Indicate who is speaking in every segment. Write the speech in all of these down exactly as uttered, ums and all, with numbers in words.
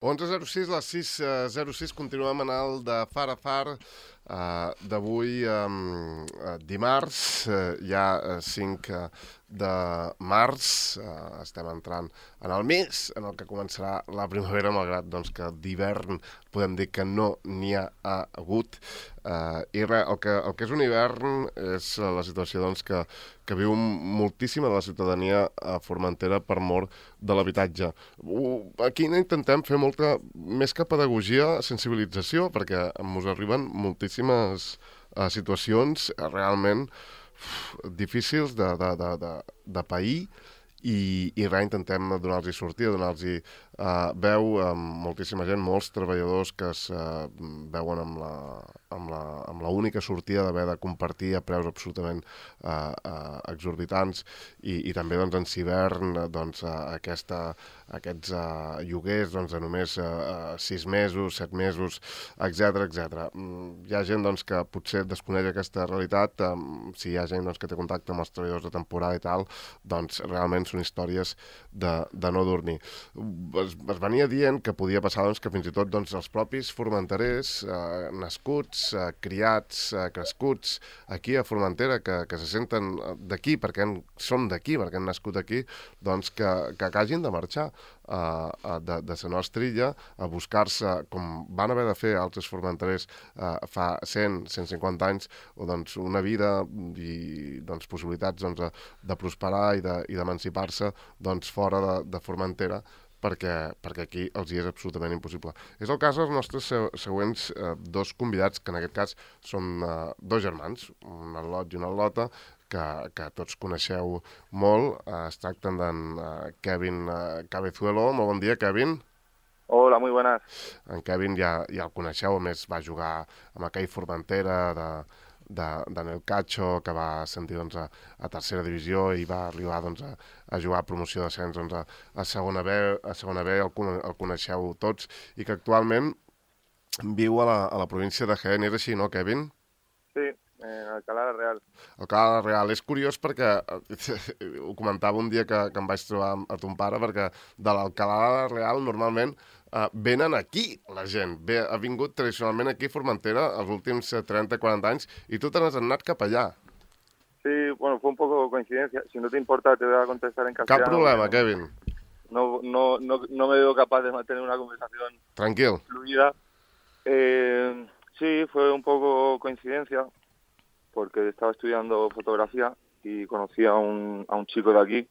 Speaker 1: onze zero sis, les sis zero sis, continuem en el de far a far uh, d'avui um, uh, dimarts, uh, ja uh, cinc de març, uh, estem entrant en el mes en el que començarà la primavera, malgrat doncs, que d'hivern podem dir que no n'hi ha hagut. Uh, I res, el que, el que és un hivern és la situació doncs, que, que viu moltíssima de la ciutadania a Formentera per mor de l'habitatge. Uh, aquí intentem fer molta, més que pedagogia, sensibilització, perquè ens arriben moltíssimes uh, situacions uh, realment uf, difícils de, de, de, de, de pair i, i res, intentem donar-los sortida, donar-los uh, veu a moltíssima gent, molts treballadors que es uh, veuen amb la, amb la, amb la única sortida d'haver de compartir a preus absolutament uh, uh, exorbitants i, i també doncs, en Cibern doncs, uh, aquesta, aquests uh, lloguers doncs, de només uh, sis mesos, set mesos, etcètera etcètera. Mm, hi ha gent doncs, que potser desconeix aquesta realitat, um, si hi ha gent doncs, que té contacte amb els treballadors de temporada i tal, doncs realment són històries de, de no dormir. Es, es venia dient que podia passar doncs, que fins i tot doncs, els propis formenterers eh, nascuts, eh, criats, eh, crescuts aquí a Formentera, que, que se senten d'aquí perquè han, són d'aquí, perquè han nascut aquí, doncs que, que hagin de marxar eh, de, de la nostra illa a buscar-se, com van haver de fer altres formenterers eh, fa cent, cent cinquanta anys, o doncs, una vida i doncs, possibilitats doncs, de, de prosperar i de, i d'emancipar-se doncs, fora de, de Formentera, perquè, perquè aquí els hi és absolutament impossible. És el cas dels nostres següents eh, dos convidats, que en aquest cas són eh, dos germans, un al·lot i una al·lota, que, que tots coneixeu molt. Eh, es tracten d'en eh, Kevin eh, Cabezuelo. Molt bon dia, Kevin.
Speaker 2: Hola, muy buenas.
Speaker 1: En Kevin ja, ja el coneixeu, a més va jugar amb aquell Formentera de, de, de Nel Cacho, que va ascendir doncs, a, a tercera divisió i va arribar doncs, a, a jugar a promoció d'ascens doncs, a, a segona B, a segona B el, el coneixeu tots, i que actualment viu a la, a la província de Jaén. És així, no, Kevin?
Speaker 2: Sí, en Alcalá de Real.
Speaker 1: Alcalá de Real. És curiós perquè, ho comentava un dia que, que em vaig trobar a ton pare, perquè de l'Alcalá de Real normalment Uh, venen aquí la gent. Ve, ha vingut tradicionalment aquí a Formentera els últims trenta quaranta anys i tu te n'has anat cap allà.
Speaker 2: Sí, bueno, fue un poco coincidencia. Si no te importa, te voy a contestar en castellano.
Speaker 1: Cap problema,
Speaker 2: no,
Speaker 1: Kevin.
Speaker 2: No, no, no, no me veo capaz de mantener una conversación
Speaker 1: Tranquil.
Speaker 2: fluida. Eh, sí, fue un poco coincidencia, porque estaba estudiando fotografía y conocí a un, a un chico de aquí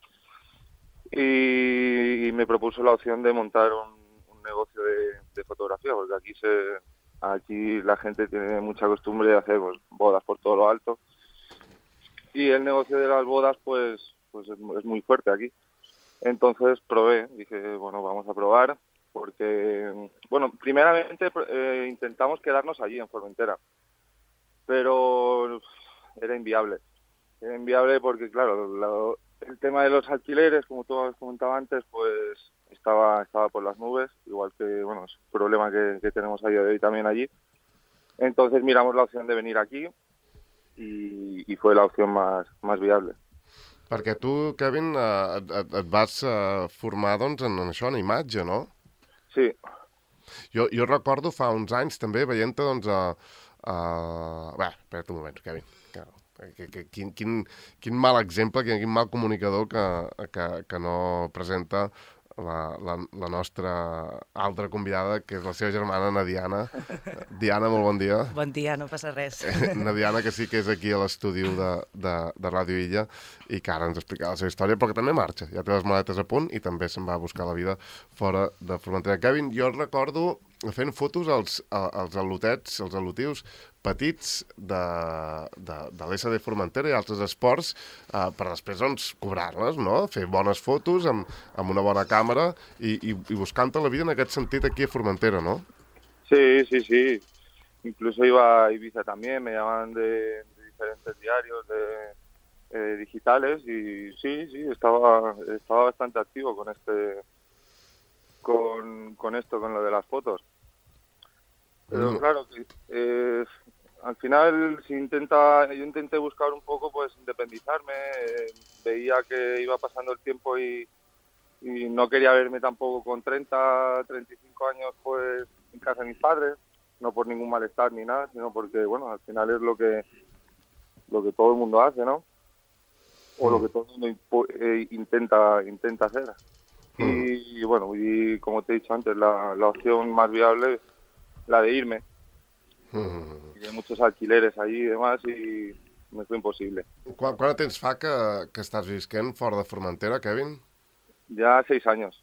Speaker 2: y, y me propuso la opción de montar un negocio de, de fotografía, porque aquí se aquí la gente tiene mucha costumbre de hacer pues, bodas por todo lo alto, y el negocio de las bodas pues pues es, es muy fuerte aquí. Entonces probé, dije, bueno, vamos a probar, porque, bueno, primeramente eh, intentamos quedarnos allí en Formentera, pero era inviable. Era inviable porque, claro, la, el tema de los alquileres, como tú has comentado antes, pues estaba estaba por las nubes, igual que, bueno, es un problema que, que tenemos a día de hoy también allí. Entonces miramos la opción de venir aquí y, y fue la opción más, más viable.
Speaker 1: Perquè tu, Kevin, eh, et, et vas eh, formar doncs, en això, en imatge, no?
Speaker 2: Sí.
Speaker 1: Jo, jo recordo fa uns anys també veient-te doncs, a... a... Bé, espera't un moment, Kevin. Que, que, que, quin, quin, quin mal exemple, quin, quin mal comunicador que, que, que no presenta la, la, la nostra altra convidada, que és la seva germana, na Diana. Diana, molt bon dia.
Speaker 3: Bon dia, no passa res.
Speaker 1: Na Diana, que sí que és aquí a l'estudi de, de, de Ràdio Illa i que ara ens explicarà la seva història, però que també marxa. Ja té les maletes a punt i també se'n va a buscar la vida fora de Formentera. Kevin, jo recordo fent fotos als, als al·lotets, als al·lotius petits de, de, de l'S D Formentera i altres esports eh, per després doncs, cobrar-les, no? Fer bones fotos amb, amb una bona càmera i, i, i buscant-te la vida en aquest sentit aquí a Formentera, ¿no?
Speaker 2: Sí, sí, sí. Incluso iba a Ibiza también, me llamaban de, de diferentes diarios de, eh, digitales y sí, sí, estaba, estaba bastante activo con este... Con, con esto, con lo de las fotos. Pero
Speaker 1: Mm.
Speaker 2: claro, eh, al final si intenta, yo intenté buscar un poco pues independizarme, eh, veía que iba pasando el tiempo y, y no quería verme tampoco con treinta, treinta y cinco años pues en casa de mis padres, no por ningún malestar ni nada, sino porque, bueno, al final es lo que lo que todo el mundo hace, ¿no? O mm. lo que todo el mundo eh, intenta intenta hacer. Mm. Y, y bueno, y como te he dicho antes, la, la opción más viable es la de irme. Mm. Y hay muchos alquileres allí y demás y me fue imposible.
Speaker 1: Quant, quant temps fa que, que estàs visquent fora de Formentera, Kevin?
Speaker 2: Ja seis anys.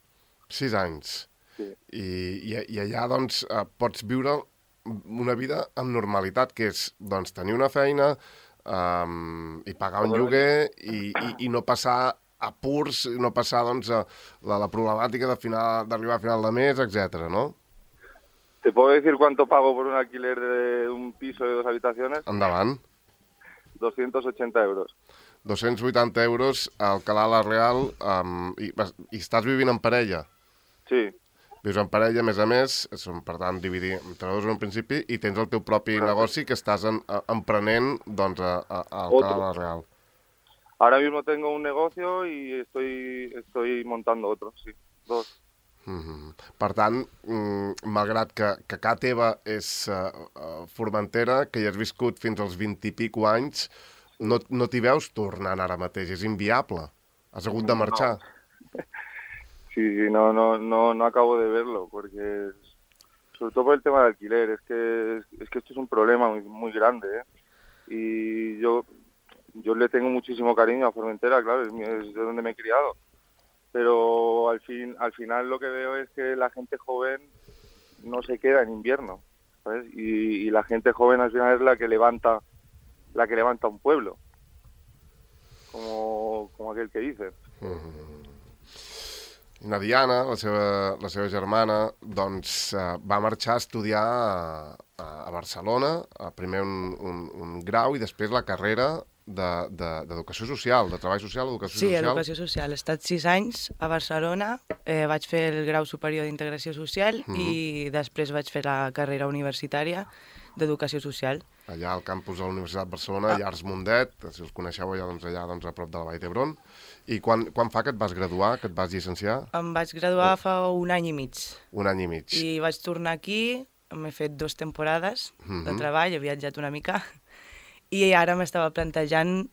Speaker 1: Sis anys.
Speaker 2: Sí.
Speaker 1: I, i, i allà, doncs, pots viure una vida amb normalitat, que és, doncs, tenir una feina um, i pagar un lloguer i, i, i no passar apurs, no passar, doncs, a la, la problemàtica d'arribar a final de mes, etcètera, no?
Speaker 2: ¿Te puedo decir cuánto pago por un alquiler de un piso de dos habitaciones?
Speaker 1: Endavant.
Speaker 2: doscientos ochenta euros.
Speaker 1: dos-cents vuitanta euros a Alcalá la Real um, i, i estàs vivint en parella?
Speaker 2: Sí.
Speaker 1: Vius en parella, a més a més, són, per tant, dividir entre dos en un principi i tens el teu propi claro. negoci que estàs en, a, emprenent doncs, a, a, a Alcalá la Real.
Speaker 2: Ahora mismo tengo un negocio y estoy, estoy montando otro, sí, dos.
Speaker 1: Mm-hmm. Per tant, mm, malgrat que, que casa teva és uh, uh, Formentera, que hi has viscut fins als vint i pico anys, no, no t'hi veus tornant ara mateix, és inviable. Has hagut de marxar.
Speaker 2: No. Sí, sí, no, no, no, no acabo de verlo, porque sobre todo por el tema del alquiler, es que, es que esto es un problema muy, muy grande, ¿eh? Y yo, yo le tengo muchísimo cariño a Formentera, claro, es, es de donde me he criado. Pero al fin, al final lo que veo es que la gente joven no se queda en invierno, ¿sabes? Y, y la gente joven al final es la que levanta, la que levanta un pueblo, como, como aquel que dice.
Speaker 1: Mm-hmm. I la Diana, la seva, la seva germana, doncs uh, va marxar a estudiar a, a Barcelona, a primer un, un, un grau i després la carrera d'educació de, de, social, de treball social, educació
Speaker 2: sí,
Speaker 1: social.
Speaker 2: Sí, educació social. He estat sis anys a Barcelona, eh, vaig fer el grau superior d'integració social mm-hmm. i després vaig fer la carrera universitària d'educació social.
Speaker 1: Allà al campus de la Universitat de Barcelona, ah. Llars Mundet, si els coneixeu allà, doncs, allà doncs, a prop de la Vall d'Hebron. I quan, quan fa que et vas graduar, que et vas llicenciar?
Speaker 2: Em vaig graduar oh. fa un any i mig.
Speaker 1: Un any i mig.
Speaker 2: I vaig tornar aquí, m'he fet dues temporades mm-hmm. de treball, he viatjat una mica, i ara m'estava plantejant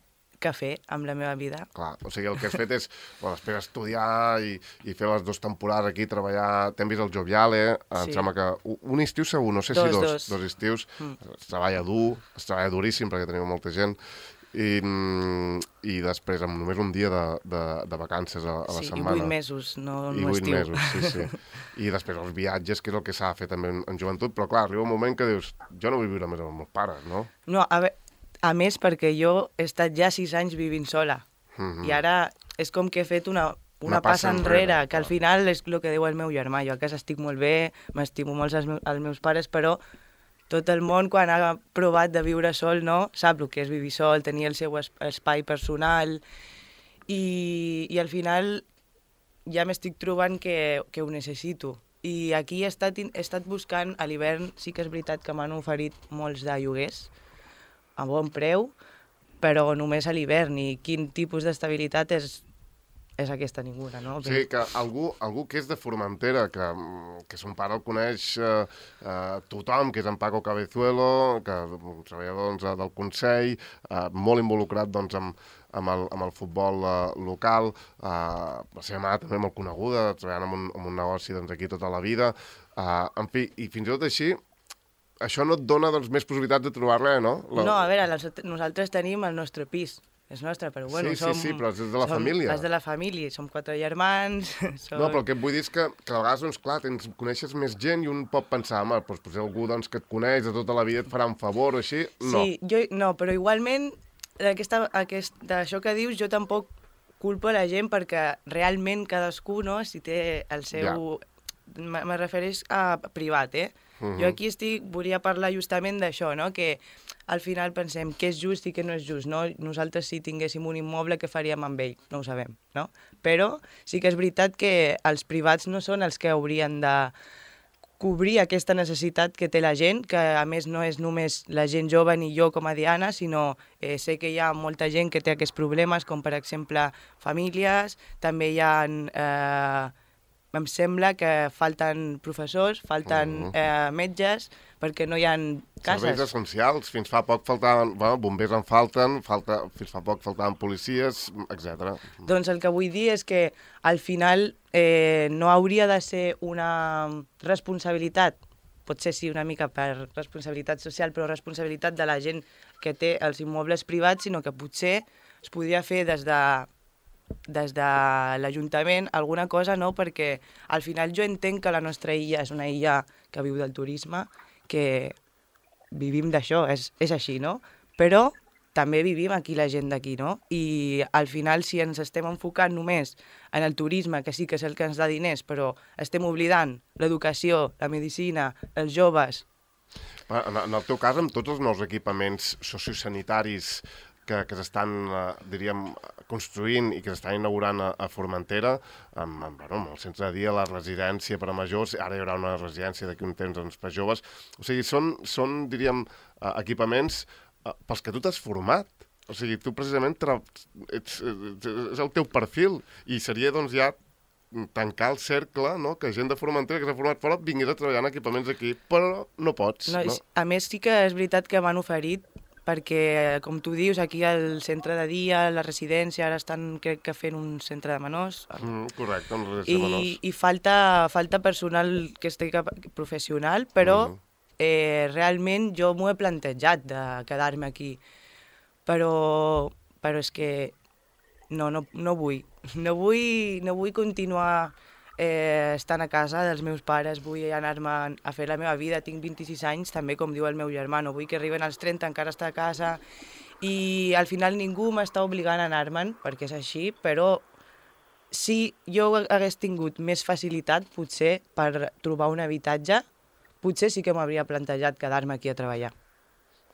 Speaker 2: què fer amb la meva vida.
Speaker 1: Clar, o sigui, el que has fet és, bueno, després estudiar i, i fer les dues temporades aquí, treballar... T'hem vist el Joviale, sí. Em sembla que... Un estiu segur, no sé
Speaker 2: dos,
Speaker 1: si dos,
Speaker 2: dos.
Speaker 1: dos estius. Mm. Es treballa dur, es treballa duríssim perquè teniu molta gent. I, i després amb només un dia de, de, de vacances a, a la
Speaker 2: sí,
Speaker 1: setmana.
Speaker 2: I vuit mesos, no, no
Speaker 1: I vuit
Speaker 2: estiu.
Speaker 1: mesos, sí, sí. I després els viatges, que és el que s'ha de fer també en, en joventut, però clar, arriba un moment que dius, jo no vull viure més amb els meus pares, no?
Speaker 2: No, a, ve a més perquè jo he estat ja sis anys vivint sola. Mm-hmm. I ara és com que he fet una, una, una passa, passa enrere, enrere, que al final és el que diu el meu germà. Jo a casa estic molt bé, m'estimo molt els, meus, els meus pares, però tot el món, quan ha provat de viure sol, no, sap el que és vivir sol, tenir el seu espai personal, i, i al final ja m'estic trobant que, que ho necessito. I aquí he estat, he estat buscant, a l'hivern sí que és veritat que m'han oferit molts de lloguers, a bon preu, però només a l'hivern, i quin tipus d'estabilitat és, és aquesta ninguna, no?
Speaker 1: O sigui, que algú, algú que és de Formentera, que, que son pare el coneix eh, eh, tothom, que és en Paco Cabezuelo, que un treballador doncs, del Consell, eh, molt involucrat doncs, amb, amb, el, amb el futbol eh, local, eh, la seva mare també molt coneguda, treballant en un, en un negoci doncs, aquí tota la vida, eh, en fi, i fins i tot així, això no et dona doncs, més possibilitats de trobar-la, no? La...
Speaker 2: No, a veure, nosaltres tenim el nostre pis, és nostre, però bueno,
Speaker 1: sí,
Speaker 2: som...
Speaker 1: Sí, sí, però és de la
Speaker 2: som,
Speaker 1: família.
Speaker 2: És de la família, som quatre germans... Som...
Speaker 1: No, però el que et vull dir és que, que a vegades, doncs, clar, tens, coneixes més gent i un pot pensar, home, doncs, potser algú doncs, que et coneix de tota la vida et farà un favor o així, no.
Speaker 2: Sí, jo, no, però igualment, aquesta, aquest, d'això que dius, jo tampoc culpo la gent perquè realment cadascú, no, si té el seu... Ja. Me refereix a privat, eh? Uh-huh. Jo aquí estic, volia parlar justament d'això, no? Que al final pensem què és just i què no és just, no? Nosaltres si tinguéssim un immoble, què faríem amb ell? No ho sabem, no? Però sí que és veritat que els privats no són els que haurien de
Speaker 3: cobrir aquesta necessitat que té la gent, que a més no és només la gent jove ni jo com a Diana, sinó eh, sé que hi ha molta gent que té aquests problemes, com per exemple famílies, també hi ha... Eh, em sembla que falten professors, falten eh, metges, perquè no hi ha cases.
Speaker 1: Serveis essencials. Fins fa poc faltaven... Bueno, bombers en falten, falta, fins fa poc faltaven policies, etcètera.
Speaker 3: Doncs el que vull dir és que al final eh, no hauria de ser una responsabilitat, potser sí una mica per responsabilitat social, però responsabilitat de la gent que té els immobles privats, sinó que potser es podria fer des de des de l'Ajuntament alguna cosa, no? Perquè al final jo entenc que la nostra illa és una illa que viu del turisme, que vivim d'això, és, és així, no? Però també vivim aquí la gent d'aquí, no? I al final si ens estem enfocant només en el turisme, que sí que és el que ens da diners, però estem oblidant l'educació, la medicina, els joves...
Speaker 1: En, en el teu cas, amb tots els nous equipaments sociosanitaris que, que s'estan, eh, diríem, construint i que s'estan inaugurant a, a Formentera, amb, amb, bueno, amb el centre de dia, la residència per a majors, ara hi haurà una residència d'aquí un temps doncs, per joves. O sigui, són, són diríem, eh, equipaments eh, pels que tu t'has format. O sigui, tu precisament ets, ets, és el teu perfil i seria doncs ja tancar el cercle, no? Que gent de Formentera que s'ha format fora vingués a treballar en equipaments aquí, però no pots.
Speaker 3: No,
Speaker 1: no?
Speaker 3: A més, sí que és veritat que m'han oferit perquè, com tu dius, aquí al centre de dia, la residència, ara estan, crec que fent un centre de menors.
Speaker 1: Mm, correcte, una residència de menors.
Speaker 3: I, i falta, falta personal que estigui professional, però mm. eh, realment jo m'ho he plantejat de quedar-me aquí. Però, però és que no, no, no vull. No vull, no vull continuar eh, estant a casa dels meus pares, vull anar-me a fer la meva vida, tinc vint-i-sis anys, també com diu el meu germà, no vull que arriben als trenta encara estar a casa i al final ningú m'està obligant a anar-me'n, perquè és així, però si jo hagués tingut més facilitat, potser, per trobar un habitatge, potser sí que m'hauria plantejat quedar-me aquí a treballar.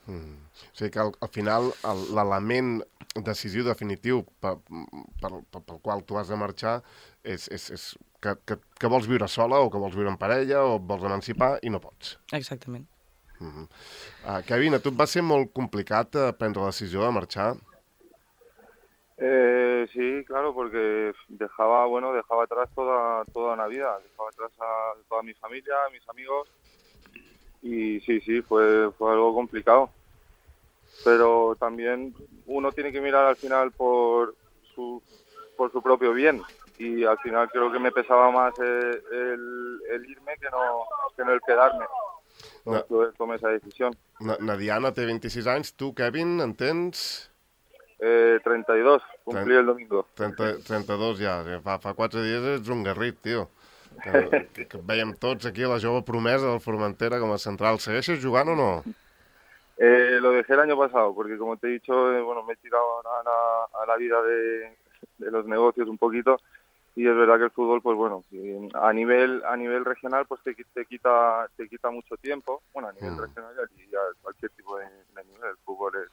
Speaker 1: Mm. O sigui que al, al final l'element decisiu definitiu per, per, per, pel qual tu has de marxar és, és, és que, que, que vols viure sola o que vols viure en parella o vols emancipar i no pots.
Speaker 3: Exactament.
Speaker 1: Mm-hmm. uh, Kevin, a tu et va ser molt complicat uh, prendre la decisió de marxar?
Speaker 2: Eh, sí, claro, porque dejaba, bueno, dejaba atrás toda, toda una vida, dejaba atrás a toda mi familia, a mis amigos y sí, sí, fue, fue algo complicado. Pero también uno tiene que mirar al final por su, por su propio bien y al final creo que me pesaba más el, el, el irme que no, que no el quedarme. Entonces no. tomé esa decisión.
Speaker 1: Na, na Diana té vint-i-sis anys, tu, Kevin, en tens?
Speaker 2: Eh, trenta y dos, cumplí el domingo.
Speaker 1: trenta, trenta-dos ja, fa, fa quatre dies ets un garrit, tio. Que, que, que veiem tots aquí la jove promesa del Formentera com a central. Segueixes jugant o no?
Speaker 2: Eh, lo dejé el año pasado, porque como te he dicho, eh, bueno, me he tirado a la, a la vida de, de los negocios un poquito y es verdad que el fútbol, pues bueno, a nivel a nivel regional, pues te, te quita te quita mucho tiempo. Bueno, a nivel mm. regional y a cualquier tipo de, de nivel, el fútbol es,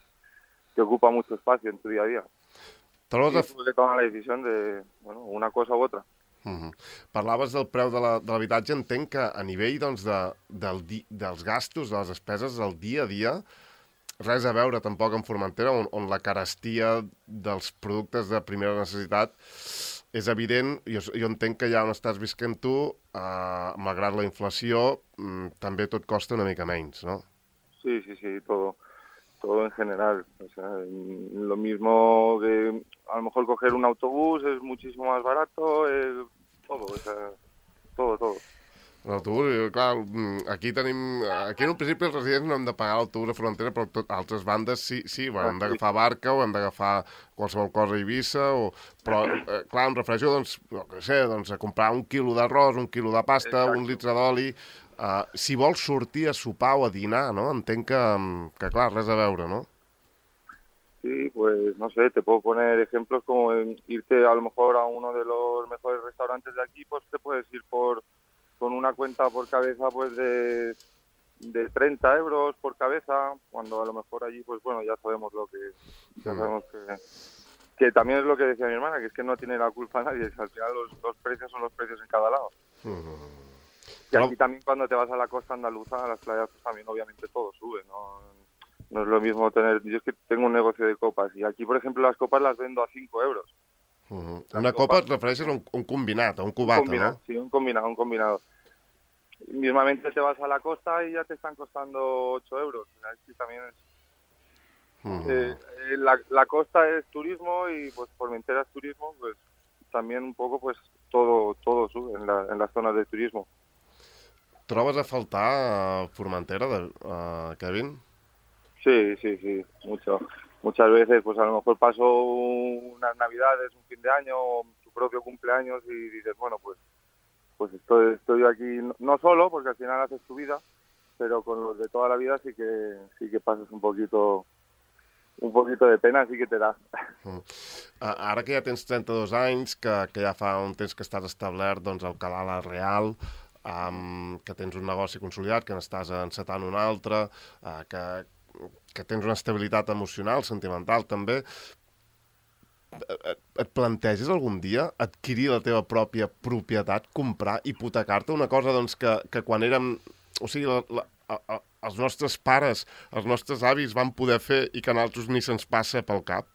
Speaker 2: te ocupa mucho espacio en tu día a día. Y tuve que tomar la decisión de, bueno, una cosa u otra.
Speaker 1: Uh-huh. Parlaves del preu de l'habitatge, la, entenc que a nivell doncs, de, del di, dels gastos, de les despeses del dia a dia, res a veure tampoc amb Formentera, on, on la carestia dels productes de primera necessitat és evident. Jo, jo entenc que ja on estàs visquent tu, eh, malgrat la inflació, mm, també tot costa una mica menys, ¿no?
Speaker 2: Sí, sí, sí, todo, todo en general. O sea, lo mismo que a lo mejor coger un autobús es muchísimo más barato, eh, todo, o sea, todo, todo.
Speaker 1: L'autobús, clar, aquí tenim... Aquí en un principi els residents no hem de pagar l'autobús a Formentera, però tot, altres bandes sí, sí, bueno, hem d'agafar barca o hem d'agafar qualsevol cosa a Eivissa, o, però, eh, clar, em refereixo, doncs, no sé, doncs, a comprar un quilo d'arròs, un quilo de pasta, Exacte. un litre d'oli. Uh, si vols sortir a sopar o a dinar, no? Entenc que, que, clar, res a veure, no?
Speaker 2: Sí, pues no sé, te puedo poner ejemplos como irte a lo mejor a uno de los mejores restaurantes de aquí, pues te puedes ir por con una cuenta por cabeza pues de, de treinta euros por cabeza, cuando a lo mejor allí pues bueno, ya sabemos lo que ya sabemos que, que también es lo que decía mi hermana, que es que no tiene la culpa nadie, que al final los, los precios son los precios en cada lado.
Speaker 1: Uh-huh.
Speaker 2: Y aquí también cuando te vas a la costa andaluza, a las playas, pues también obviamente todo sube, ¿no? No es lo mismo tener... Yo es que tengo un negocio de copas y aquí, por ejemplo, las copas las vendo a cinco euros.
Speaker 1: Uh-huh. Una copa et refereixes a un, un combinat, a un cubata,
Speaker 2: un combinat,
Speaker 1: ¿no?
Speaker 2: Sí, un combinado, un combinado. Mismamente te vas a la costa y ya te están costando ocho euros. Aquí también es... Uh-huh. eh, la, la costa es turismo y pues Formentera es turismo, pues también un poco pues todo todo sube en, la, en las zonas de turismo.
Speaker 1: ¿Trobes a faltar a Formentera, de, uh, Kevin?
Speaker 2: Sí, sí, sí, mucho. Muchas veces pues a lo mejor paso unas navidades, un fin de año, tu propio cumpleaños y dices, bueno, pues pues estoy, estoy aquí no solo, porque al final haces tu vida, pero con los de toda la vida sí que sí que pasas un poquito un poquito de pena, sí que te da.
Speaker 1: Uh, ara que ja tens trenta-dos anys, que, que ja fa un temps que estàs establert doncs, al Canal La Real, um, que tens un negoci consolidat, que n'estàs encetant un altre, uh, que, que tens una estabilitat emocional, sentimental també, et, et planteges algun dia adquirir la teva pròpia propietat, comprar, hipotecar-te, una cosa doncs, que, que quan érem... O sigui, la, la, a, a, els nostres pares, els nostres avis van poder fer i que a nosaltres ni se'ns passa pel cap?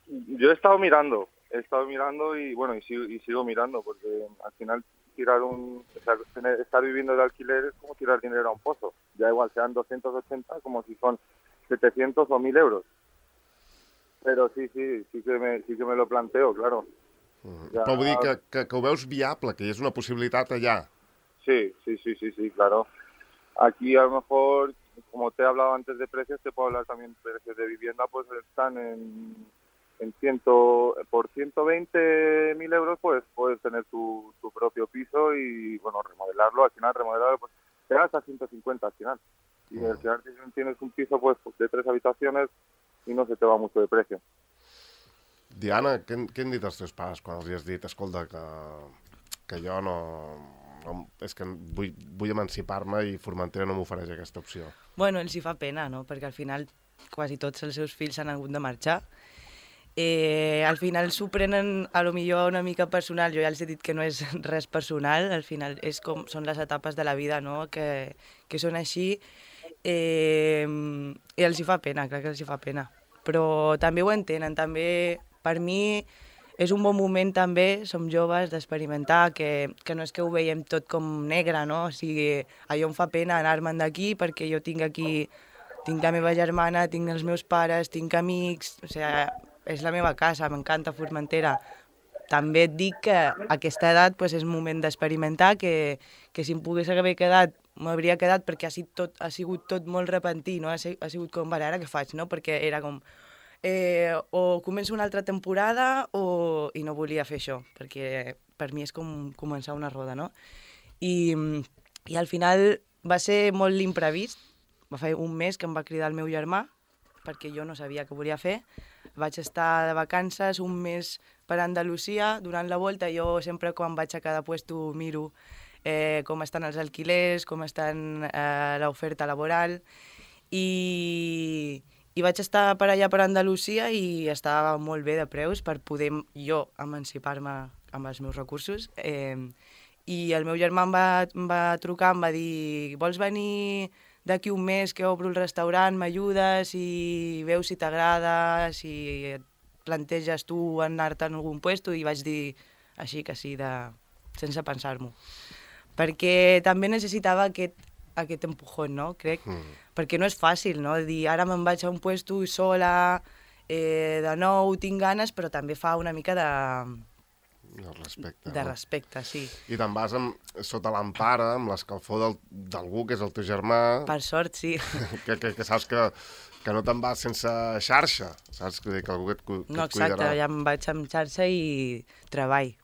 Speaker 2: Yo he estado mirando, he estado mirando y bueno, y sigo, y sigo mirando, porque al final tirar un, o sea, tener, estar viviendo de alquiler es como tirar dinero a un pozo. Ya igual sean doscientos ochenta como si son setecientos o mil euros. Pero sí, sí, sí que me, sí que me lo planteo, claro.
Speaker 1: Mm. Ja... Però vull dir que, que, que ho veus viable, que hi és una possibilitat allà.
Speaker 2: Sí, sí, sí, sí, sí, claro. Aquí a lo mejor, como te he hablado antes de precios, te puedo hablar también de precios de vivienda, pues están en, en ciento, por ciento veinte mil euros, pues puedes tener tu, tu propio piso y, bueno, remodelarlo, al final remodelarlo, pues te gastas ciento cincuenta al final. Y al final tienes un piso pues de tres habitaciones i no se te va mucho de precio.
Speaker 1: Diana, què, què han dit els teus pares quan els has dit, escolta, que, que jo no, no... És que vull, vull emancipar-me i Formentera no m'ofereix aquesta opció?
Speaker 3: Bueno, els hi fa pena, no? Perquè al final quasi tots els seus fills han hagut de marxar. Eh, al final s'ho prenen a lo millor una mica personal, jo ja els he dit que no és res personal, al final és com, són les etapes de la vida, no? que, que són així. Eh, I els hi fa pena, crec que els hi fa pena. Però també ho entenen, també per mi és un bon moment també, som joves, d'experimentar, que, que no és que ho veiem tot com negre, no? O sigui, allò em fa pena anar-me'n d'aquí perquè jo tinc aquí, tinc la meva germana, tinc els meus pares, tinc amics, o sigui, és la meva casa, m'encanta Formentera. També et dic que a aquesta edat pues, és moment d'experimentar, que, que si em pogués haver quedat m'hauria quedat perquè ha sigut tot, ha sigut tot molt repentí, no? ha, ha sigut com, vale, ara què faig, no? Perquè era com, eh, o començo una altra temporada o... i no volia fer això, perquè per mi és com començar una roda, no? I, i al final va ser molt l'imprevist, va fer un mes que em va cridar el meu germà, perquè jo no sabia què volia fer, vaig estar de vacances un mes per Andalusia, durant la volta jo sempre quan vaig a cada puesto miro Eh, com estan els alquilers, com estan eh, l'oferta laboral i, i vaig estar per allà per Andalusia i estava molt bé de preus per poder jo emancipar-me amb els meus recursos eh, i el meu germà em va, em va trucar, em va dir vols venir d'aquí un mes que obro el restaurant, m'ajudes i veus si t'agrada, si et planteges tu anar-te en algun puesto i vaig dir així que sí, de, sense pensar-m'ho. Perquè també necessitava aquest, aquest empujón, no? Crec, mm. perquè no és fàcil, no? Dir, ara me'n vaig a un puesto sola, eh, de nou, tinc ganes, però també fa una mica de...
Speaker 1: De respecte.
Speaker 3: De
Speaker 1: no?
Speaker 3: respecte, sí.
Speaker 1: I te'n vas amb, sota l'empara, amb l'escalfor del, d'algú que és el teu germà...
Speaker 3: Per sort, sí.
Speaker 1: que, que, que saps que, que no te'n vas sense xarxa, saps? Que, que algú que et, que
Speaker 3: no,
Speaker 1: et cuidarà.
Speaker 3: No, exacte, ja em vaig amb xarxa i treball.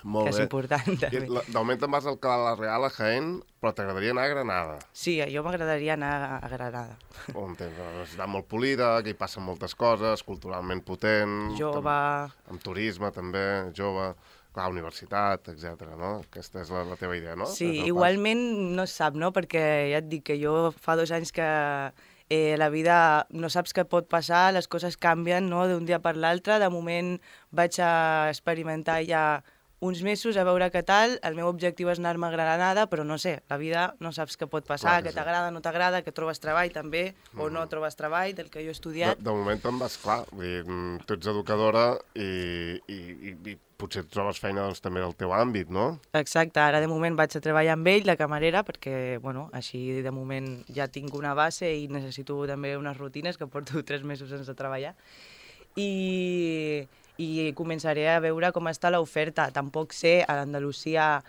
Speaker 1: Molt
Speaker 3: que és
Speaker 1: bé.
Speaker 3: important, també.
Speaker 1: De moment te'n vas al Canal La Real a Jaén, però t'agradaria anar a Granada.
Speaker 3: Sí, a jo m'agradaria anar a Granada.
Speaker 1: On tens una ciutat molt polida, que hi passen moltes coses, culturalment potent...
Speaker 3: Jove...
Speaker 1: Amb, amb turisme, també, jove, clar, universitat, etcètera, no? Aquesta és la, la teva idea, no?
Speaker 3: Sí, igualment no es sap, no? Perquè ja et dic que jo fa dos anys que eh, la vida no saps què pot passar, les coses canvien, no?, d'un dia per l'altre. De moment vaig a experimentar ja uns mesos a veure què tal, el meu objectiu és anar-me a Granada, però no sé, la vida no saps què pot passar,
Speaker 1: Clar que
Speaker 3: que
Speaker 1: sí.
Speaker 3: t'agrada, no t'agrada, que trobes treball també, mm. o no trobes treball, del que jo he
Speaker 1: De,
Speaker 3: estudiat.
Speaker 1: de moment te'n vas clar, vull dir, mm, tu ets educadora i, i, i, i potser trobes feina doncs, també del teu àmbit, no?
Speaker 3: Exacte, ara de moment vaig a treballar amb ell, de camarera, perquè, bueno, així de moment ja tinc una base i necessito també unes rutines, que porto tres mesos sense treballar. I, i començaré a veure com està l'oferta. Tampoc sé a l'Andalusia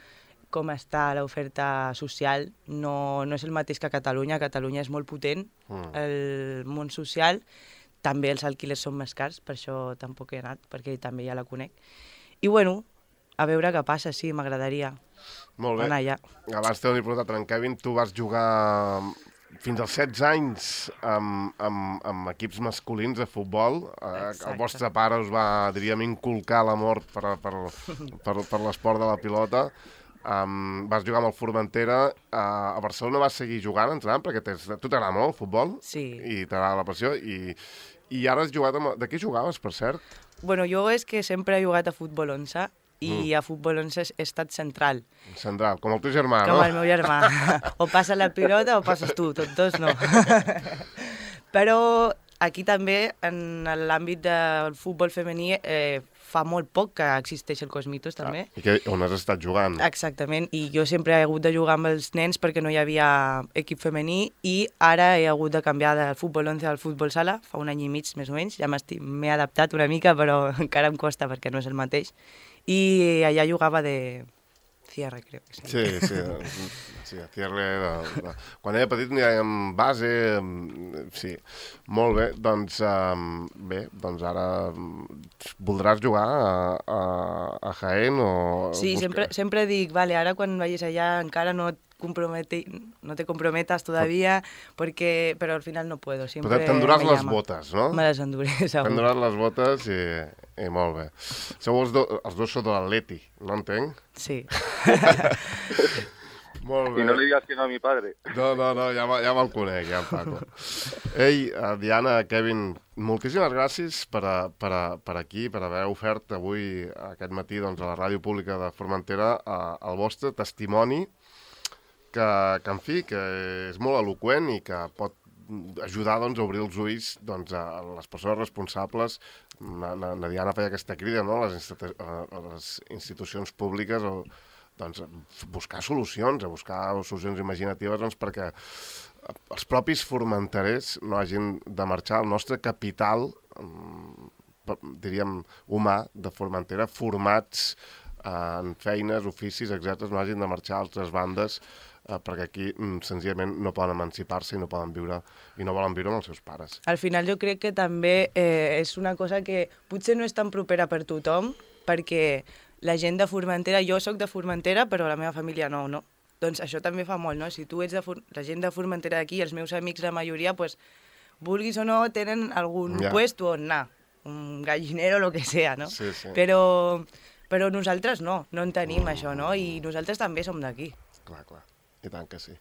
Speaker 3: com està l'oferta social. No, no és el mateix que a Catalunya. A Catalunya és molt potent, mm. el món social. També els alquilers són més cars, per això tampoc he anat, perquè també ja la conec. I bueno, a veure què passa, sí, m'agradaria
Speaker 1: Molt bé.
Speaker 3: anar allà.
Speaker 1: Abans t'ho he preguntat, en Kevin, tu vas jugar fins als setze anys amb, amb, amb equips masculins de futbol. Exacte. El vostre pare us va, diríem, inculcar l'amor per, per, per, per l'esport de la pilota. Um, vas jugar amb el Formentera. Uh, a Barcelona vas seguir jugant, entrenant, perquè tens, tu t'agrada molt el futbol.
Speaker 3: Sí.
Speaker 1: I t'agrada la passió. I, i ara has jugat amb... De què jugaves, per cert?
Speaker 3: Bueno, jo és que sempre he jugat a futbol onze i mm. a futbol onze he estat central.
Speaker 1: Central, com el teu germà,
Speaker 3: com
Speaker 1: no?
Speaker 3: Com el meu germà. O passa la pilota o passes tu, tots dos no. Però aquí també, en l'àmbit del futbol femení, eh, fa molt poc que existeix el Cosmitos, també.
Speaker 1: Ah, I que, on has estat jugant.
Speaker 3: Exactament, i jo sempre he hagut de jugar amb els nens perquè no hi havia equip femení i ara he hagut de canviar del futbol onze al futbol sala, fa un any i mig més o menys, ja m'he adaptat una mica però encara em costa perquè no és el mateix. I allà jugava de cierre, crec que sí.
Speaker 1: Sí, sí, sí, cierre. De, de... Quan era petit n'hi havia base, sí. Molt bé, doncs, um, bé, doncs ara voldràs jugar a, a, a Jaén o...
Speaker 3: Sí,
Speaker 1: buscar...
Speaker 3: sempre, sempre dic, vale, ara quan vagis allà encara no et compromete, no te comprometas todavía, porque, pero al final no puedo. Siempre
Speaker 1: Però t'enduràs les botes, no?
Speaker 3: Me les enduré, segur.
Speaker 1: T'enduràs les botes i, i molt bé. Sou els, do, els dos sou de l'Atleti, no entenc?
Speaker 3: Sí.
Speaker 1: Molt bé.
Speaker 2: I no li digas que no a mi padre.
Speaker 1: No, no, no, ja, ja me'l conec, ja en Paco. Ei, Diana, Kevin, moltíssimes gràcies per, a, per, a, per aquí, per haver ofert avui, aquest matí, doncs, a la ràdio pública de Formentera, a, el vostre testimoni, que, que, en fi, que és molt eloqüent i que pot ajudar doncs, a obrir els ulls doncs, a les persones responsables. Na, na, na Diana feia aquesta crida, no?, a les, institu a les institucions públiques, o, doncs, a buscar solucions, a buscar solucions imaginatives doncs, perquè els propis formenterers no hagin de marxar. El nostre capital, diríem, humà de Formentera, formats en feines, oficis, etcètera, no hagin de marxar a altres bandes, eh, perquè aquí mm, senzillament no poden emancipar-se i no poden viure i no volen viure amb els seus pares.
Speaker 3: Al final jo crec que també eh, és una cosa que potser no és tan propera per tothom, perquè la gent de Formentera, jo sóc de Formentera, però la meva família no, no? Doncs això també fa molt, no? Si tu ets de For la gent de Formentera d'aquí, els meus amics, la majoria, pues, vulguis o no, tenen algun
Speaker 1: ja.
Speaker 3: puesto on anar, un gallinero, lo que sea, no?
Speaker 1: Sí, sí.
Speaker 3: Però... Però nosaltres no, no en tenim mm. això, no? I nosaltres també som d'aquí.
Speaker 1: Clar, clar. I tant que sí.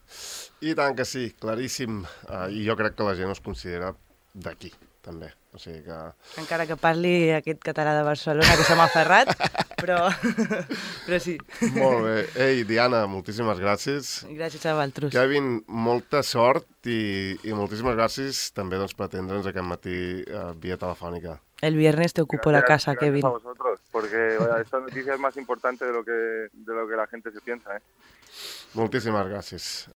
Speaker 1: I tant que sí, claríssim. Uh, I jo crec que la gent es considera d'aquí, també. O sigui que...
Speaker 3: Encara que parli aquest català de Barcelona, que se m'ha ferrat, però... però sí.
Speaker 1: Molt bé. Ei, Diana, moltíssimes gràcies.
Speaker 3: Gràcies a vosaltres.
Speaker 1: Kevin, molta sort i, i moltíssimes gràcies també doncs, per atendre'ns aquest matí uh, via telefònica.
Speaker 3: El viernes te ocupo gracias, la casa,
Speaker 2: gracias
Speaker 3: Kevin.
Speaker 2: A vosotros, porque vaya, esta noticia es más importante de lo que, de lo que la gente se piensa, ¿eh?
Speaker 1: Moltíssimes gràcies.